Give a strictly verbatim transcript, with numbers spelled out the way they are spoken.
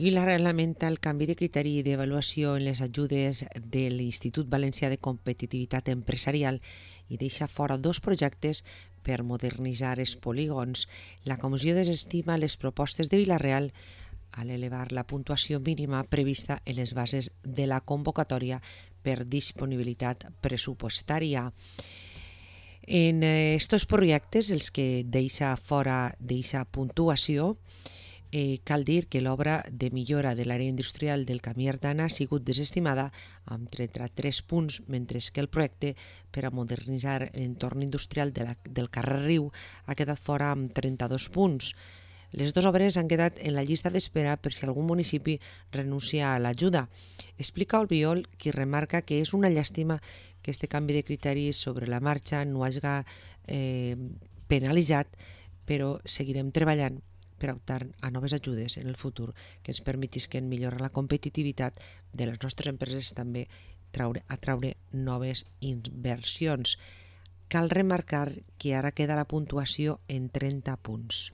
Vilareal lamenta el canvi de criteri d'avaluació en les ajudes de l'Institut Valencià de Competitivitat Empresarial i deixa fora dos projectes per modernitzar els polígons. La comissió desestima les propostes de Vilareal a l'elevar la puntuació mínima prevista en les bases de la convocatòria per disponibilitat pressupostària. En estos projectes, els que deixa fora d'aquesta puntuació, Eh, cal dir que l'obra de millora de l'àrea industrial del Camí Artana ha sigut desestimada amb trenta-tres punts, mentre que el projecte per a modernitzar l'entorn industrial de la, del carrer Riu ha quedat fora amb trenta-dos punts. Les dues obres han quedat en la llista d'espera per si algun municipi renuncia a l'ajuda. Explica Albiol, qui remarca que és una llàstima que este canvi de criteris sobre la marxa no hagi eh, penalitzat, però seguirem treballant per optar a noves ajudes en el futur que ens permetisquen millorar la competitivitat de les nostres empreses, també traure, atraure noves inversions. Cal remarcar que ara queda la puntuació en trenta punts.